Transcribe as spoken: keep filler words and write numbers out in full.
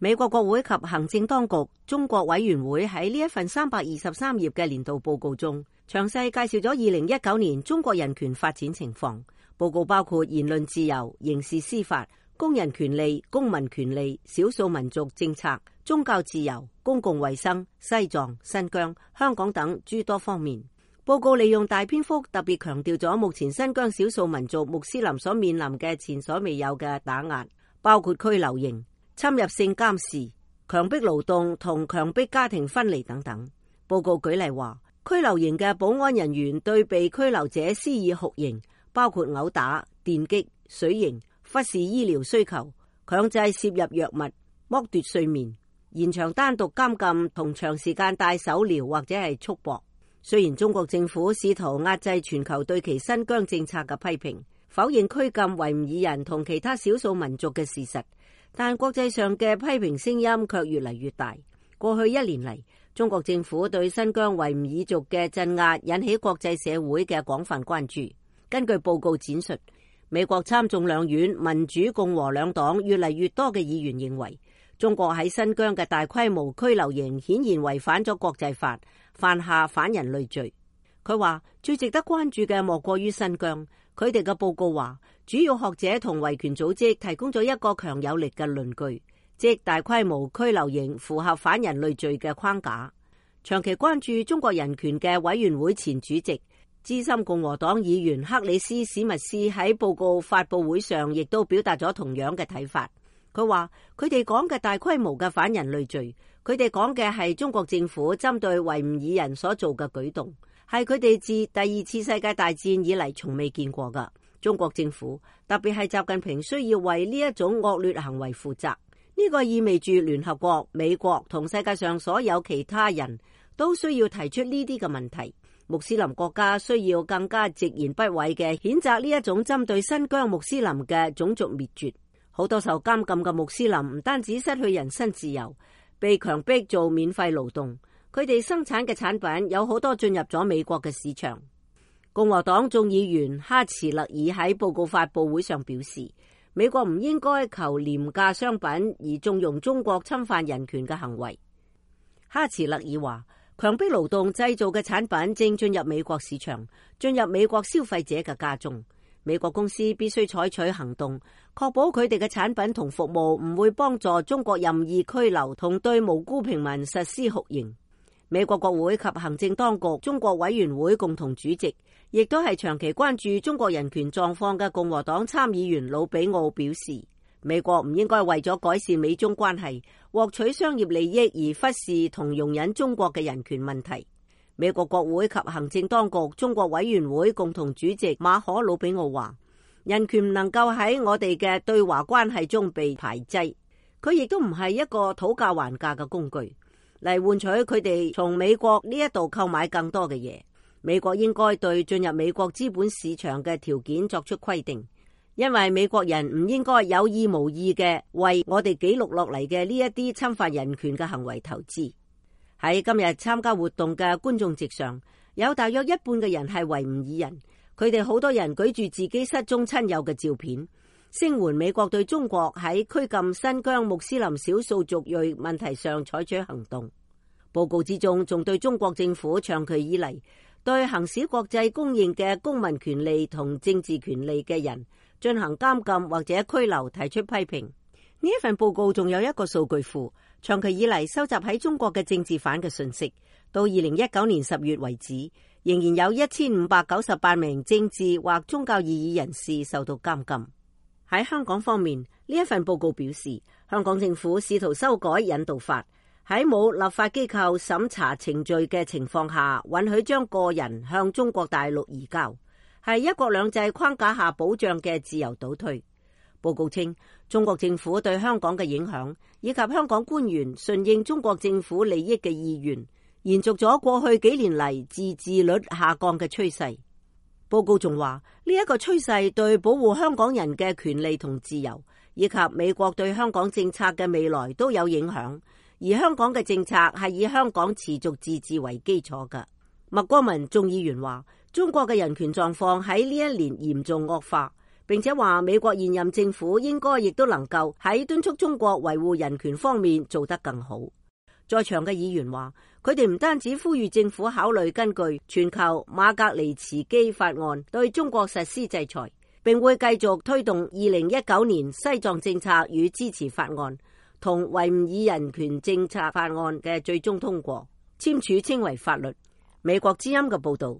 美國國會及行政當局中國委員會喺呢一份三百二十三頁嘅年度報告中，詳細介紹咗二零一九年中國人權發展情況。報告包括言論自由、刑事司法、工人權利、公民權利、少數民族政策、宗教自由、公共衛生、西藏、新疆、香港等諸多方面。報告利用大篇幅特別強調咗目前新疆少數民族穆斯林所面臨嘅前所未有嘅打壓，包括拘留營、侵入性監視、強迫勞動同強迫家庭分離等等。報告舉例話，拘留營嘅保安人員對被拘留者施以酷刑，包括毆打、電擊、水刑、忽視醫療需求、強制攝入藥物、剝奪睡眠、延長單獨監禁同長時間戴手鐐或者係束縛。雖然中國政府試圖壓制全球對其新疆政策嘅批評，否認拘禁維吾爾人同其他少數民族嘅事實，但國際上嘅批評聲音卻越嚟越大。過去一年嚟，中國政府對新疆維吾爾族嘅鎮壓引起國際社會嘅廣泛關注。根據報告展述，美國參眾兩院民主共和兩黨越嚟越多嘅議員認為，中國喺新疆嘅大規模拘留營顯然違反咗國際法，犯下反人類罪。佢話最值得關注嘅莫過於新疆。佢哋嘅報告話，主要學者同維權組織提供咗一個強有力嘅論據，即大規模拘留營符合反人類罪嘅框架。長期關注中國人權嘅委員會前主席、資深共和黨議員克里斯史密斯喺報告發佈會上亦都表達咗同樣嘅睇法。佢話佢哋講嘅大規模嘅反人類罪，佢哋講嘅係中國政府針對維吾爾人所做嘅舉動，係佢哋自第二次世界大戰以嚟從未見過㗎。中國政府特別係習近平需要為呢一種惡劣行為負責。呢個意味住聯合國、美國同世界上所有其他人都需要提出呢啲嘅問題。穆斯林國家需要更加直言不諱嘅譴責呢一種針對新疆穆斯林嘅種族滅絕。好多受監禁嘅穆斯林唔單止失去人身自由，被強迫做免費勞動，佢哋生產嘅產品有好多進入咗美國嘅市場。共和黨眾議員哈茨勒爾喺報告發佈會上表示，美國唔應該求廉價商品而縱容中國侵犯人權嘅行為。哈茨勒爾話，強迫勞動製造嘅產品正進入美國市場，進入美國消費者嘅家中。美國公司必須採取行動，確保佢哋嘅產品同服務唔會幫助中國任意拘留同對無辜平民實施酷刑。美國國會及行政當局中國委員會共同主席，亦都係長期關注中國人權狀況嘅共和黨參議員魯比奧表示，美國唔應該為咗改善美中關係，獲取商業利益而忽視同容忍中國嘅人權問題。美國國會及行政當局中國委員會共同主席馬可魯比奧話，人權唔能夠喺我哋嘅對華關係中被排擠，佢亦都唔係一個討價還價嘅工具，嚟換取佢哋從美國呢一度購買更多嘅嘢。美國應該對進入美國資本市場嘅條件作出規定，因為美國人唔應該有意無意嘅為我哋記錄落嚟嘅呢一啲侵犯人權嘅行為投資。喺今日參加活動嘅觀眾席上，有大約一半嘅人係維吾爾人，佢哋好多人舉住自己失蹤親友嘅照片，聲援美國對中國喺拘禁新疆穆斯林少數族裔問題上採取行動。報告之中仲對中國政府長期以嚟對行使國際公認嘅公民權利同政治權利嘅人進行監禁或者拘留提出批評。呢一份報告仲有一個數據庫，長期以嚟收集喺中國嘅政治犯嘅信息，到二零一九年十月為止，仍然有一千五百九十八名政治或宗教異議人士受到監禁。喺香港方面，呢一份報告表示，香港政府試圖修改引渡法，喺冇立法機構審查程序嘅情況下，允許將個人向中國大陸移交，係一國兩制框架下保障嘅自由倒退。報告稱，中國政府對香港嘅影響，以及香港官員順應中國政府利益嘅意願，延續咗過去幾年嚟自治率下降嘅趨勢。報告仲話，呢一個趨勢對保護香港人嘅權利同自由，以及美國對香港政策嘅未來都有影響。而香港嘅政策係以香港持續自治為基礎嘅。麥國文眾議員話，中國嘅人權狀況喺呢一年嚴重惡化。並且話美國現任政府應該亦都能夠喺敦促中國維護人權方面做得更好。在場嘅議員話，佢哋唔單止呼籲政府考慮根據全球馬格尼茨基法案對中國實施制裁，並會繼續推動二零一九年西藏政策與支持法案同維吾爾人權政策法案嘅最終通過，簽署稱為法律。美國之音嘅報道。